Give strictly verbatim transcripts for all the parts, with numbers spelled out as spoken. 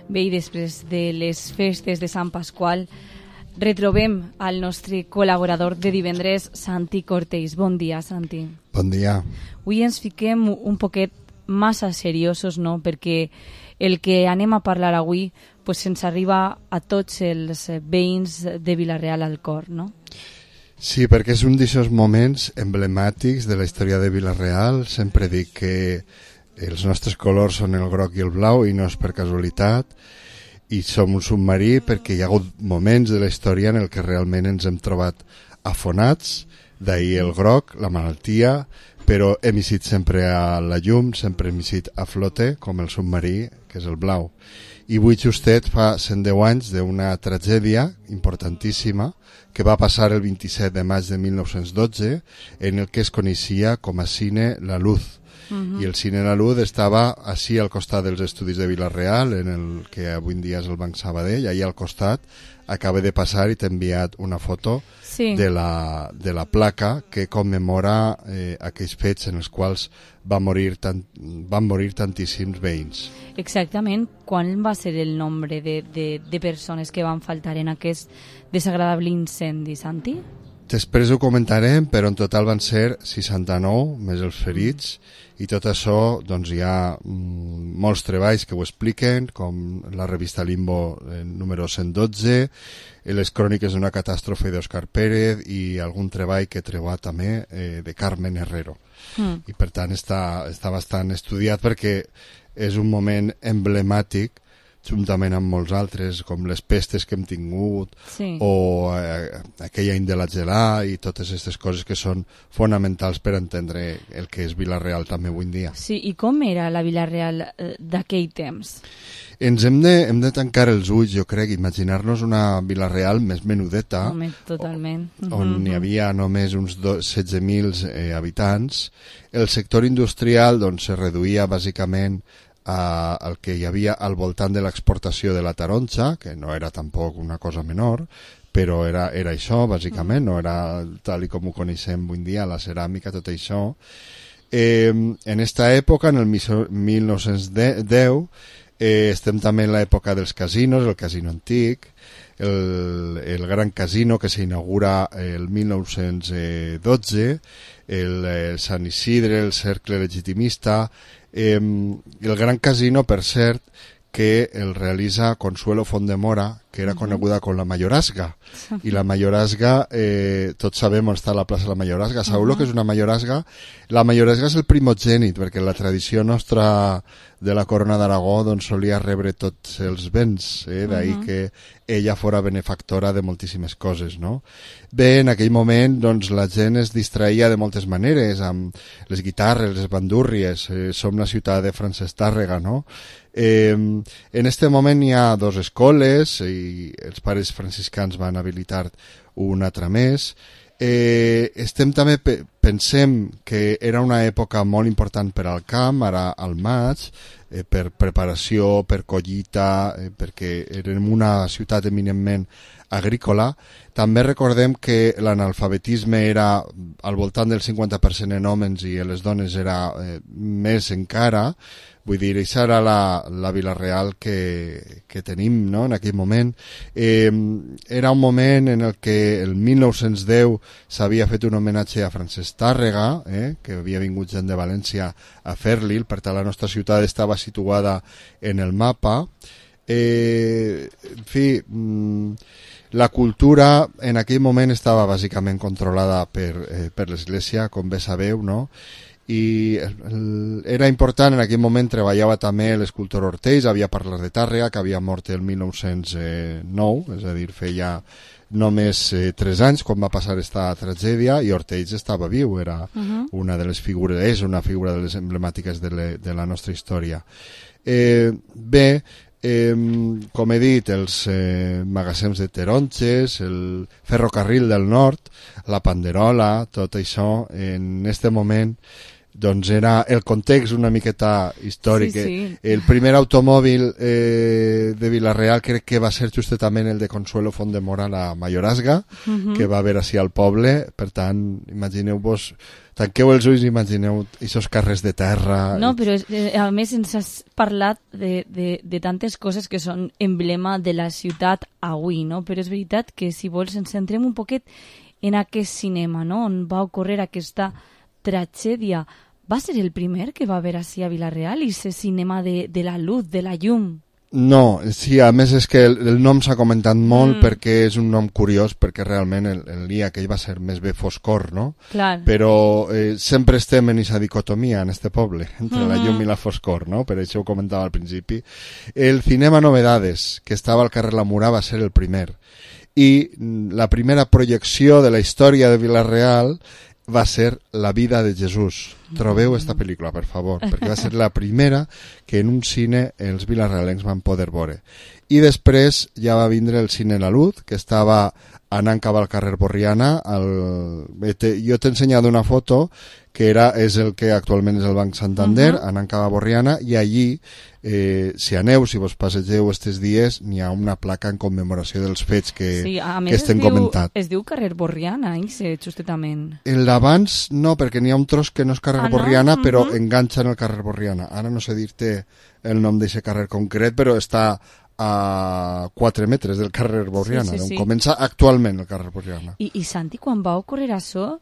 Bé, i després de les festes de Sant Pasqual, retrobem al nostre col·laborador de divendres, Santi Cortells. Bon dia, Santi. Bon dia. Avui ens fiquem un poquet massa seriosos, no? Perquè el que anem a parlar avui pues, ens arriba a tots els veïns de Vila-real al cor, no? Sí, perquè és un d'aquests moments emblemàtics de la història de Vila-real. Sempre dic que els nostres colors són el groc i el blau i no és per casualitat, i som un submarí perquè hi ha hagut moments de la història en el que realment ens hem trobat afonats, d'ahir el groc, la malaltia, però hem eixit sempre a la llum, sempre hem eixit a flote, com el submarí, que és el blau. I avui justet fa cent deu anys d'una tragèdia importantíssima que va passar el vint-i-set de maig de mil nou-cents dotze en el que es coneixia com a Cine La Luz. Uh-huh. I el Cine La Luz estava així al costat dels estudis de Vila-real, en el que avui en dia és el Banc Sabadell. Allà al costat acaba de passar i t'he enviat una foto sí. de, la, de la placa que commemora eh, aquells fets en els quals va morir tant, van morir tantíssims veïns. Exactament. Quan va ser el nombre de, de, de persones que van faltar en aquest desagradable incendi, Santi? Després ho comentarem, però en total van ser seixanta-nou, més els ferits, i tot això doncs, hi ha mm, molts treballs que ho expliquen, com la revista Limbo eh, número cent dotze, les cròniques d'una catàstrofe d'Òscar Pérez i algun treball que treu també eh, de Carmen Herrero. Mm. I per tant està, està bastant estudiat perquè és un moment emblemàtic juntament amb molts altres, com les pestes que hem tingut, sí. o eh, aquell any de la gelà i totes aquestes coses que són fonamentals per entendre el que és Vila-real també avui en dia. Sí, i com era la Vila-real eh, d'aquell temps? Ens hem de, hem de tancar els ulls, jo crec, imaginar-nos una Vila-real més menudeta, Home, totalment. on mm-hmm. hi havia només uns setze mil eh, habitants. El sector industrial doncs, se reduïa bàsicament a el que hi havia al voltant de l'exportació de la taronja, que no era tampoc una cosa menor, però era, era això, bàsicament, no era tal i com ho coneixem avui en dia, la ceràmica, tot això. Eh, en esta època, en el mil nou-cents deu, eh, estem també en l'època dels casinos, el casino antic, el, el gran casino que s'inaugura el mil nou-cents dotze, el, el Sant Isidre, el Cercle Legitimista. Eh, el gran casino, per cert, que el realitza Consuelo Fondemora, que era coneguda com la Mayorazga. I la Mayorazga, eh, tots sabem on està la plaça de la Mayorazga. Sabeu uh-huh. que és una Mayorazga? La Mayorazga és el primogènit, perquè la tradició nostra de la Corona d'Aragó doncs, solia rebre tots els béns, eh? D'ahir uh-huh. que ella fora benefactora de moltíssimes coses, no? Bé, en aquell moment doncs, la gent es distraïa de moltes maneres, amb les guitarres, les bandúrries, eh, som la ciutat de Francesc Tàrrega, no? Eh, en este moment hi ha dos escoles i els pares franciscans van habilitar una altra més. Eh, estem també pe pensem que era una època molt important per al camp, ara al maig, eh, per preparació, per collita, eh, perquè érem una ciutat eminentment agrícola. També recordem que l'analfabetisme era al voltant del cinquanta per cent en homes i en les dones era eh, més encara. Vull dir, això era la, la Vila-real que, que tenim, no?, en aquell moment. Eh, era un moment en el que el mil nou-cents deu s'havia fet un homenatge a Francesc Tàrrega, eh, que havia vingut gent de València a fer-li, per tant la nostra ciutat estava situada en el mapa. Eh, en fi, la cultura en aquell moment estava bàsicament controlada per, eh, per l'Església, com bé sabeu, no?, i era important, en aquell moment treballava també l'escultor Ortells, havia parlat de Tàrrega, que havia mort el mil nou-cents nou, és a dir, feia només eh, tres anys quan va passar esta tragèdia, i Ortells estava viu, era uh-huh. una de les figures, és una figura de les emblemàtiques de, le, de la nostra història. Eh, bé, Eh, com he dit, els eh, magatzems de taronges, el ferrocarril del nord, la panderola, tot això, en este moment doncs era el context una miqueta històric. Sí, sí. El primer automòbil eh, de Vila-real crec que va ser justament el de Consuelo Font-de-Mora, la Mayorazga, uh -huh. que va haver així al poble. Per tant, imagineu-vos, tanqueu els ulls i imagineu aquests carrers de terra. No, però eh, a més ens has parlat de, de, de tantes coses que són emblema de la ciutat avui, no? Però és veritat que, si vols, ens centrem un poquet en aquest cinema, no? On va ocórrer aquesta tragèdia. Va ser el primer que va haver així a Vila-real, i ese cinema de, de la luz, de la llum? No, sí, a més és que el, el nom s'ha comentat molt mm. perquè és un nom curiós, perquè realment el, el dia aquell va ser més bé foscor, no? Clar. Però eh, sempre estem en aquesta dicotomia en este poble, entre mm-hmm. la llum i la foscor, no? Per això ho comentava al principi. El Cinema Novedades, que estava al carrer La Murà, va ser el primer. I la primera projecció de la història de Vila-real va ser La vida de Jesús. Trobeu esta pel·lícula, per favor, perquè va ser la primera que en un cine els vilarealencs van poder veure. I després ja va vindre el Cine La Luz, que estava anant cap al carrer Borriana. El... Jo t'he ensenyat una foto que era, és el que actualment és el Banc Santander, uh -huh. anant cap a Borriana, i allí, eh, si aneu, si vos passegeu estes dies, n'hi ha una placa en commemoració dels fets que, sí, a més que estem es diu, comentant. Es diu carrer Borriana, eh, justament. El d'abans no, perquè n'hi ha un tros que no és carrer ah, Borriana, no? però uh -huh. enganxa en el carrer Borriana. Ara no sé dir-te el nom d'aquest carrer concret, però està a quatre metres del carrer Borriana, sí, sí, sí. on comença actualment el carrer Borriana. I, i Santi, quan va ocórrer això,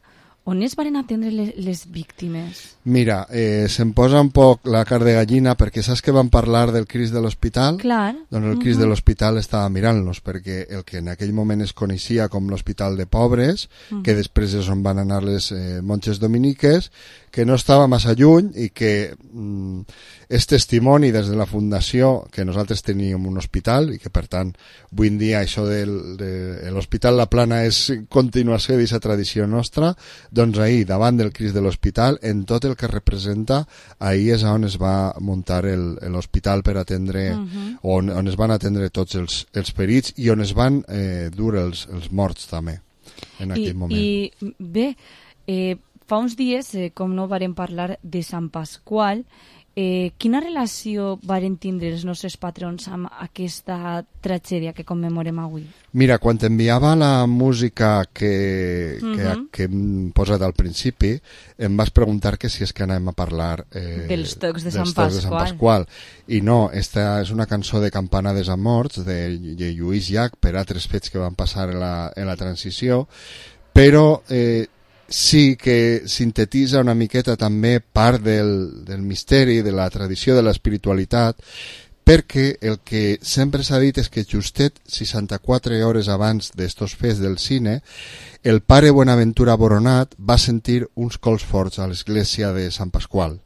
on es van atendre les, les víctimes? Mira, eh, se'm posa un poc la carn de gallina, perquè saps que van parlar del Crist de l'Hospital? Clar. Doncs el Crist uh -huh. de l'Hospital estava mirant-los, perquè el que en aquell moment es coneixia com l'Hospital de Pobres, uh -huh. que després és on van anar les eh, monges dominiques, que no estava massa lluny i que mm, és testimoni des de la Fundació que nosaltres teníem un hospital i que, per tant, avui en dia això del, de l'Hospital La Plana és continuació d'aquesta tradició nostra. Doncs ahir, davant del Crist de l'Hospital, en tot el que representa, ahir és on es va muntar l'hospital per atendre, uh -huh. on, on es van atendre tots els, els ferits i on es van eh, dur els, els morts també, en aquell I, moment. I bé, eh, fa uns dies, eh, com no vàrem parlar de Sant Pasqual, eh, quina relació varen tindre els nostres patrons amb aquesta tragèdia que commemorem avui? Mira, quan t'enviava la música que, uh-huh. que, que hem posat al principi, em vas preguntar que si és que anem a parlar eh, dels tocs de, dels Sant, tocs Pasqual. de Sant Pasqual. I no, esta és una cançó de Campanades a Morts, de, de Lluís Llach, per altres fets que van passar en la, en la transició, però eh, sí que sintetitza una miqueta també part del, del misteri, de la tradició, de l'espiritualitat, perquè el que sempre s'ha dit és que justet seixanta-quatre hores abans d'estos fets del cine, el pare Bonaventura Boronat va sentir uns cols forts a l'església de Sant Pasqual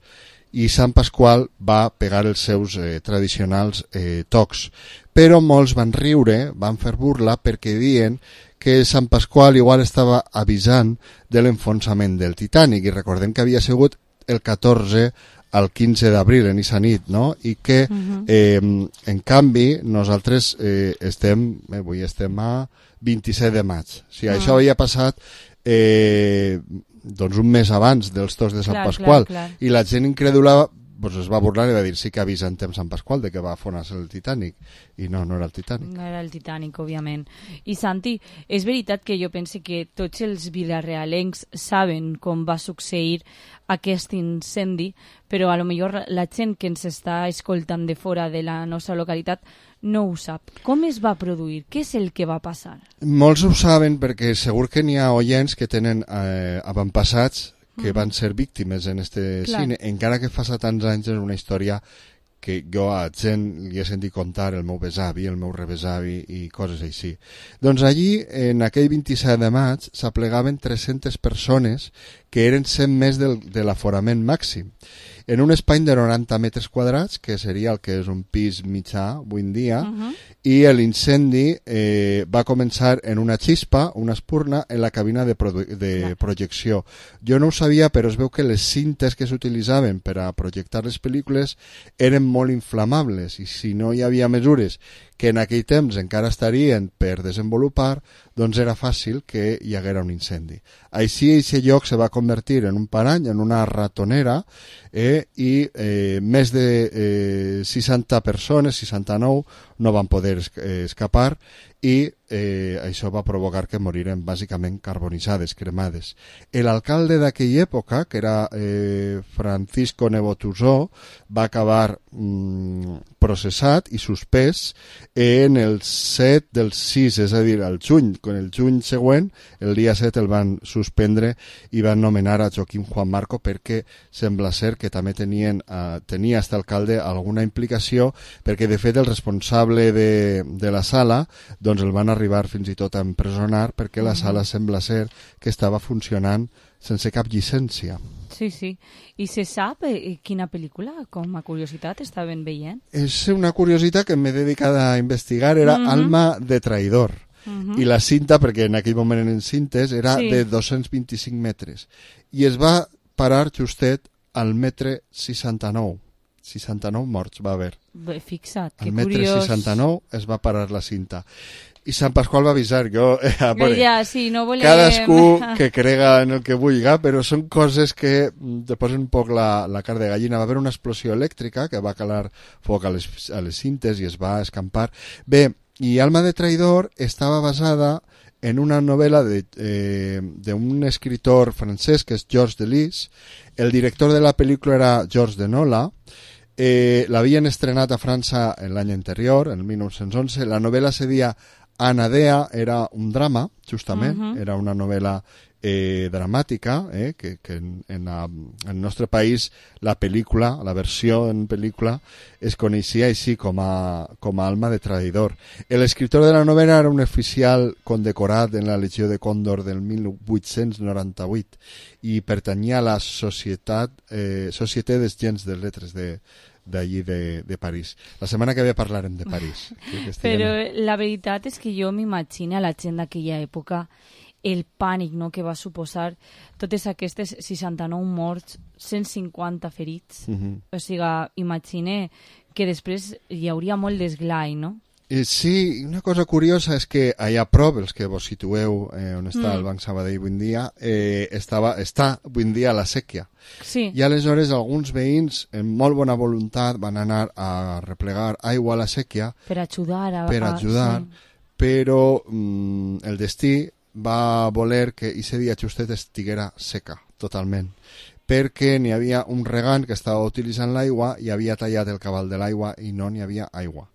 i Sant Pasqual va pegar els seus eh, tradicionals eh, tocs, però molts van riure, van fer burla perquè diuen que Sant Pasqual igual estava avisant de l'enfonsament del Titanic, i recordem que havia sigut el catorze al quinze d'abril en esa nit, no? I que uh-huh. eh, en canvi nosaltres eh, estem, eh, avui estem a vint-i-set de maig. O sigui, uh-huh. això havia passat eh, doncs un mes abans dels tocs de Sant clar, Pasqual, clar, clar. i la gent incrèdula pues es va burlar i va dir sí que avisa en temps Sant Pasqual de que va afonar-se el Titanic, i no, no era el Titanic. No era el Titanic, òbviament. I Santi, és veritat que jo pense que tots els vilarealencs saben com va succeir aquest incendi, però a lo millor la gent que ens està escoltant de fora de la nostra localitat no ho sap. Com es va produir? Què és el que va passar? Molts ho saben perquè segur que n'hi ha oients que tenen eh, avantpassats que van ser víctimes en este Clar. cine, encara que fa tants anys és una història que jo a gent li he sentit contar, el meu besavi, el meu rebesavi i coses així. Doncs allí, en aquell vint-i-set de maig, s'aplegaven tres-centes persones que eren cent més del, de l'aforament màxim, en un espai de noranta metres quadrats, que seria el que és un pis mitjà avui en dia, uh-huh. i l'incendi eh, va començar en una xispa, una espurna, en la cabina de, produ- de projecció. Jo no ho sabia, però es veu que les cintes que s'utilitzaven per a projectar les pel·lícules eren molt inflamables, i si no hi havia mesures que en aquell temps encara estarien per desenvolupar, doncs era fàcil que hi haguera un incendi. Així, aquest lloc se va convertir en un parany, en una ratonera, eh, i eh, més de eh, seixanta persones, seixanta-nou, no van poder es eh, escapar, i eh, això va provocar que moriren bàsicament carbonitzades, cremades. L'alcalde d'aquella època, que era eh, Francisco Nevotusó, va acabar mm, processat i suspès en el set del sis, és a dir, el juny. En el juny següent, el dia set, el van suspendre i van nomenar a Joaquim Juan Marco perquè sembla ser que també tenien, eh, tenia aquest alcalde alguna implicació, perquè de fet el responsable de, de la sala doncs el van arribar fins i tot a empresonar perquè la sala sembla ser que estava funcionant sense cap llicència. Sí, sí. I se sap eh, quina pel·lícula, com a curiositat, estaven veient? És una curiositat que m'he dedicat a investigar, era uh-huh. Alma de traïdor. Uh-huh. I la cinta, perquè en aquell moment eren cintes, era sí. de dos-cents vint-i-cinc metres. I es va parar justet al metre seixanta-nou. seixanta-nou morts va haver. Bé, fixa't, que al metre curiós. seixanta-nou es va parar la cinta. I Sant Pasqual va avisar, jo... Eh, veure, ja, sí, no volem... cadascú que crega en el que vulga, però són coses que te posen un poc la, la carn de gallina. Va haver una explosió elèctrica que va calar foc a les, a les cintes i es va escampar. Bé, i Alma de traïdor estava basada en una novel·la d'un eh, escritor francès que és Georges Delis. El director de la pel·lícula era Georges Denola. Eh, l'havien estrenat a França l'any anterior, en mil nou-cents onze. La novel·la se deia Anadea, era un drama, justament, uh-huh. era una novel·la eh, dramàtica, eh, que, que en, en, la, en el nostre país la pel·lícula, la versió en pel·lícula, es coneixia així com a, com a Alma de traïdor. L'escriptor de la novel·la era un oficial condecorat en la Legió de Còndor del mil vuit-cents noranta-vuit i pertanyia a la Societat, eh, Société des Gens de Lettres de d'allí de, de París. La setmana que ve parlarem de París. Que Però la veritat és que jo m'imagino a la gent d'aquella època el pànic, no?, que va suposar totes aquestes seixanta-nou morts, cent cinquanta ferits. Uh-huh. O sigui, imagine que després hi hauria molt d'esglai, no? Eh, sí, una cosa curiosa és que allà a prop, els que vos situeu eh, on està mm. el Banc Sabadell avui en dia, eh, estava, està avui en dia a la sèquia. Sí. I aleshores alguns veïns, en molt bona voluntat, van anar a replegar aigua a la sèquia per ajudar, a, per ajudar, a, sí. però mm, el destí va voler que aquest dia justet estiguera seca, totalment, perquè n'hi havia un regant que estava utilitzant l'aigua i havia tallat el cabal de l'aigua i no n'hi havia aigua.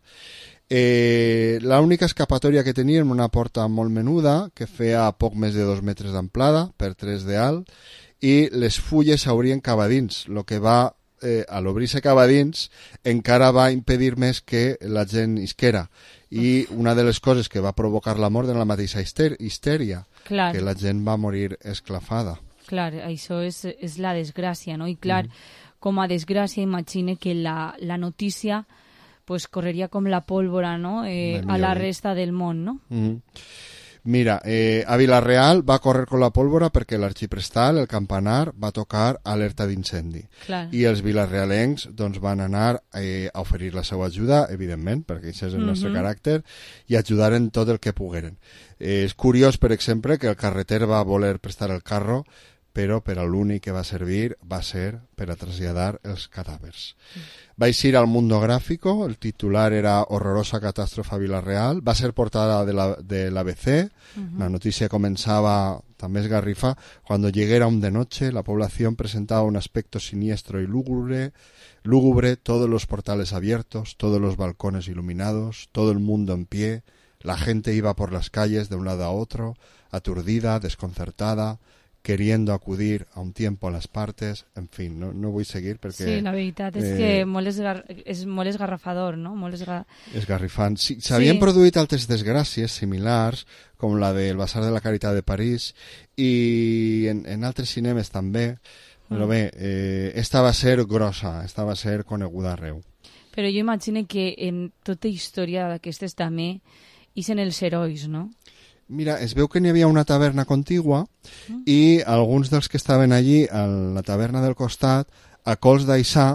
Eh, l'única escapatòria que teníem, una porta molt menuda que feia poc més de dos metres d'amplada per tres de alt i les fulles s'haurien cavadins, el que va, eh, a l'obrir-se cavadins encara va impedir més que la gent isquera i una de les coses que va provocar la mort de la mateixa histèria, clar, que la gent va morir esclafada. Clar, això és, és la desgràcia, no? I clar, mm. com a desgràcia imagine que la, la notícia pues correria com la pólvora, no? Eh, a la resta del món, no? Mm-hmm. Mira, eh, a Vila-real va córrer com la pólvora perquè l'arxiprestal, el campanar, va tocar alerta d'incendi. I els vilarealencs doncs, van anar eh, a oferir la seva ajuda, evidentment, perquè això és el mm-hmm. nostre caràcter, i ajudar en tot el que pogueren. Eh, és curiós, per exemple, que el carreter va voler prestar el carro, però per a l'únic que va servir va ser per a traslladar els cadàvers. Mm. Va eixir al Mundo Gráfico, el titular era Horrorosa catàstrofe a Vila-real, va ser portada de la, de l'A B C, uh-huh. La notícia comenzaba, també esgarrifa, cuando llegara un de noche, la población presentaba un aspecto siniestro y lúgubre, lúgubre, todos los portales abiertos, todos los balcones iluminados, todo el mundo en pie, la gente iba por las calles de un lado a otro, aturdida, desconcertada, queriendo acudir a un tiempo a las partes, en fin, no, no vull seguir perquè... Sí, la veritat és eh, que molt esgar... és molt esgarrafador, no? Molt esgar... Esgarrifant. Sí, s'havien sí. produït altres desgràcies similars, com la del Basar de la Caritat de París, i en, en altres cinemes també, però bé, eh, esta va ser grossa, esta va ser coneguda arreu. Però jo imagino que en tota història d'aquestes també ixen els herois, no? Mira, es veu que n'hi havia una taverna contigua mm. i alguns dels que estaven allí a la taverna del costat, a cols d'aixà,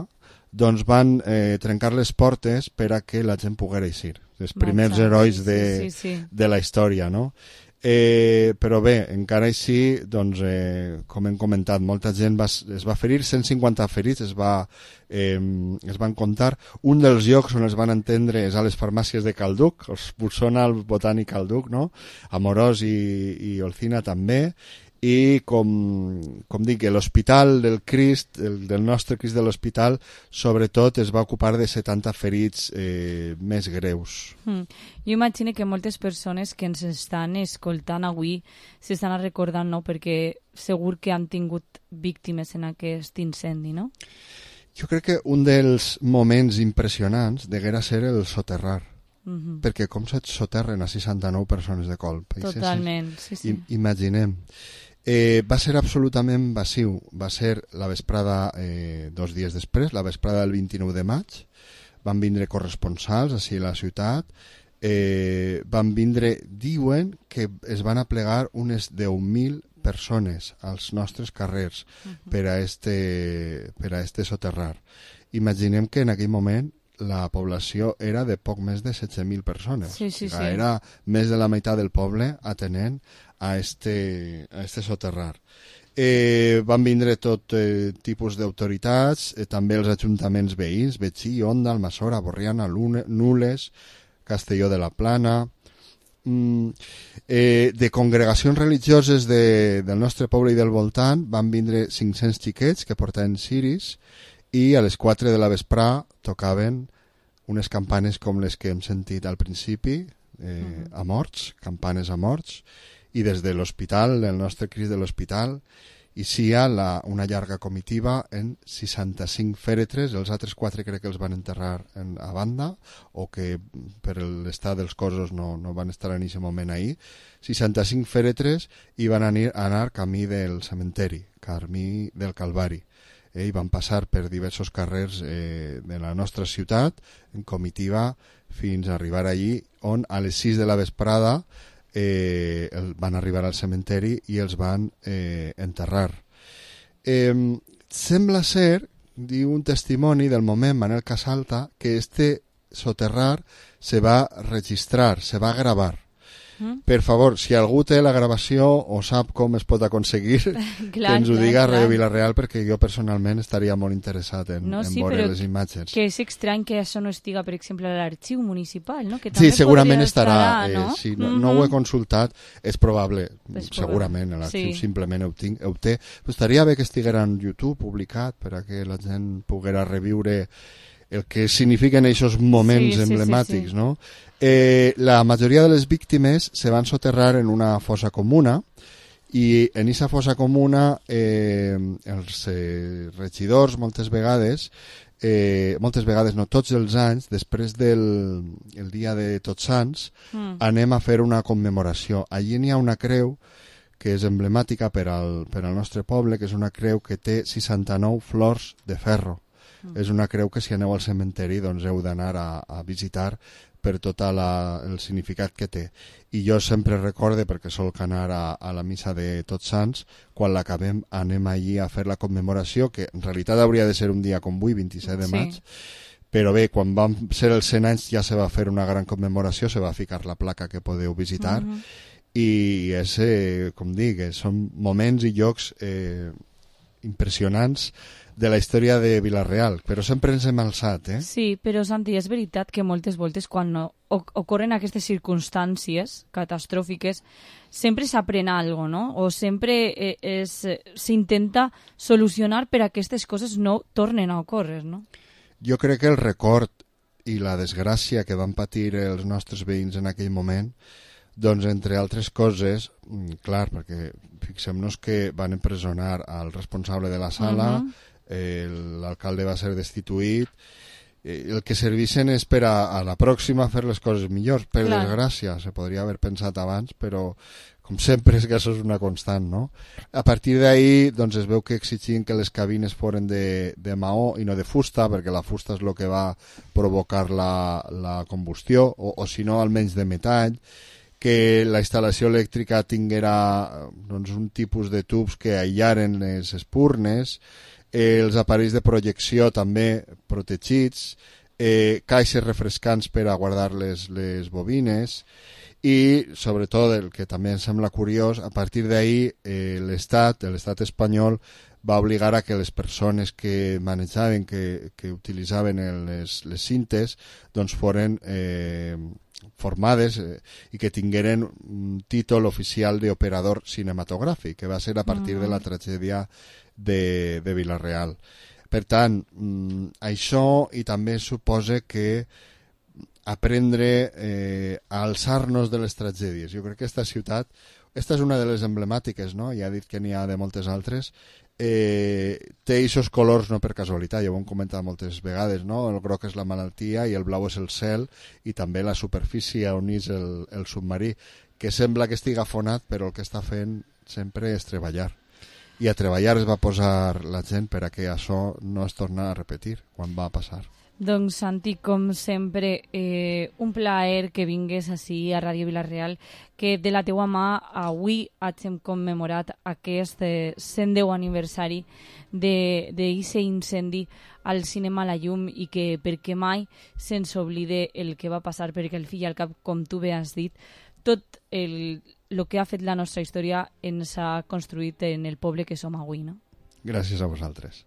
doncs van eh, trencar les portes per a que la gent poguera eixir. Els primers Marxa, herois sí, de, sí, sí. de la història, no? Eh, però bé, encara així, doncs, eh, com hem comentat, molta gent va, es va ferir, cent cinquanta ferits es, va, eh, es van comptar. Un dels llocs on es van entendre és a les farmàcies de Calduc, els Bolsona, el Botànic Calduc, no? Amorós i, i Olcina també, i com, com dic, l'hospital del Crist, el, del nostre Crist de l'hospital, sobretot es va ocupar de setanta ferits eh, més greus. Mm. Jo imagino que moltes persones que ens estan escoltant avui s'estan recordant, no?, perquè segur que han tingut víctimes en aquest incendi, no? Jo crec que un dels moments impressionants deguera ser el soterrar. Mm-hmm. Perquè com se soterren a seixanta-nou persones de colp. Totalment, sí, sí. I, imaginem. Eh, va ser absolutament massiu. Va ser la vesprada, eh, dos dies després, la vesprada del vint-i-nou de maig. Van vindre corresponsals així a la ciutat. Eh, van vindre, diuen que es van aplegar unes deu mil persones als nostres carrers uh-huh. per a este, per a este soterrar. Imaginem que en aquell moment la població era de poc més de setze mil persones. Sí, sí, o sigui, sí. Era més de la meitat del poble atenent a este, a este soterrar. Eh, van vindre tot eh, tipus d'autoritats, eh, també els ajuntaments veïns, Betxí, Onda, Almassora, Borriana, Lune, Nules, Castelló de la Plana, mm, eh, de congregacions religioses de, del nostre poble i del voltant van vindre cinc-cents xiquets que portaven ciris i a les quatre de la vesprà tocaven unes campanes com les que hem sentit al principi, eh, uh-huh. a morts, campanes a morts, i des de l'hospital, el nostre Crist de l'hospital, hi sia la, una llarga comitiva en seixanta-cinc fèretres, els altres quatre crec que els van enterrar en, a banda, o que per l'estat dels cossos no, no van estar en aquest moment ahir, seixanta-cinc fèretres i van anar, anar camí del cementeri, camí del Calvari. Eh, i van passar per diversos carrers eh, de la nostra ciutat en comitiva fins a arribar allí on a les sis de la vesprada eh, el, van arribar al cementeri i els van eh, enterrar. Eh, sembla ser, diu un testimoni del moment, Manel Casalta, que este soterrar se va registrar, se va gravar. Mm. Per favor, si algú té la gravació o sap com es pot aconseguir, clar, que ens ho diga a Radio Vila-real, perquè jo personalment estaria molt interessat en, no, en sí, veure les imatges. Que és estrany que això no estiga, per exemple, a l'arxiu municipal, no? Que sí, segurament estarà, estarà eh, no? Sí, no, mm-hmm. no ho he consultat, és probable, pues segurament, l'arxiu sí. simplement ho, tinc, ho té. Però estaria bé que estiguera en YouTube publicat per a que la gent poguera reviure el que signifiquen aquests moments sí, emblemàtics, sí, sí, sí. no? Eh, la majoria de les víctimes se van soterrar en una fossa comuna i en aquesta fossa comuna eh, els eh, regidors moltes vegades, eh, moltes vegades no, tots els anys, després del el dia de Tots Sants, mm. anem a fer una commemoració. Allí n'hi ha una creu que és emblemàtica per al, per al nostre poble, que és una creu que té seixanta-nou flors de ferro. Mm. És una creu que si aneu al cementeri doncs heu d'anar a, a visitar per tot la, el significat que té. I jo sempre recorde, perquè solc anar a, a la missa de Tots Sants, quan l'acabem anem allí a fer la commemoració, que en realitat hauria de ser un dia com avui, vint-i-set de maig, sí. Però bé, quan van ser els cent anys ja se va fer una gran commemoració, se va ficar la placa que podeu visitar, mm-hmm. i és, eh, com dic, són moments i llocs eh, impressionants de la història de Vila-real, però sempre ens hem alçat, eh? Sí, però Santi, és veritat que moltes voltes quan no, ocorren aquestes circumstàncies catastròfiques sempre s'aprèn algo, no? O sempre eh, és, s'intenta solucionar per a que aquestes coses no tornen a ocórrer, no? Jo crec que el record i la desgràcia que van patir els nostres veïns en aquell moment, doncs, entre altres coses, clar, perquè fixem-nos que van empresonar al responsable de la sala, uh-huh. eh, l'alcalde va ser destituït, eh, el que serveixen és per a, a la pròxima fer les coses millors, per clar. Desgràcia, se podria haver pensat abans, però com sempre és que això és una constant, no? A partir d'ahir doncs, es veu que exigien que les cabines foren de, de maó i no de fusta, perquè la fusta és el que va provocar la, la combustió, o, o si no almenys de metall, que la instal·lació elèctrica tinguera doncs, un tipus de tubs que aïllaren les espurnes, eh, els aparells de projecció també protegits, eh, caixes refrescants per a guardar les, les bobines, i sobretot el que també em sembla curiós, a partir d'ahir eh, l'Estat, l'Estat espanyol va obligar a que les persones que manejaven, que, que utilitzaven les, les cintes, doncs foren eh, formades eh, i que tingueren un títol oficial d'operador cinematogràfic, que va ser a partir mm. de la tragèdia de, de Vila-real. Per tant, mm, això i també suposa que aprendre eh, a alçar-nos de les tragèdies. Jo crec que aquesta ciutat, esta és una de les emblemàtiques, no? Ja he dit que n'hi ha de moltes altres, eh, té aquests colors no per casualitat, ja ho hem comentat moltes vegades, no? El groc és la malaltia i el blau és el cel i també la superfície on és el, el submarí, que sembla que estigui afonat, però el que està fent sempre és treballar. I a treballar es va posar la gent per a que això no es torna a repetir quan va passar. Doncs, Santi, com sempre, eh, un plaer que vingues ací a Ràdio Vila-real, que de la teua mà avui hagin commemorat aquest eh, cent deu aniversari d'aquest incendi al cinema La Llum i que perquè mai se'ns oblide el que va passar, perquè al fi i al cap, com tu bé has dit, tot el, el que ha fet la nostra història ens ha construït en el poble que som avui, no? Gràcies a vosaltres.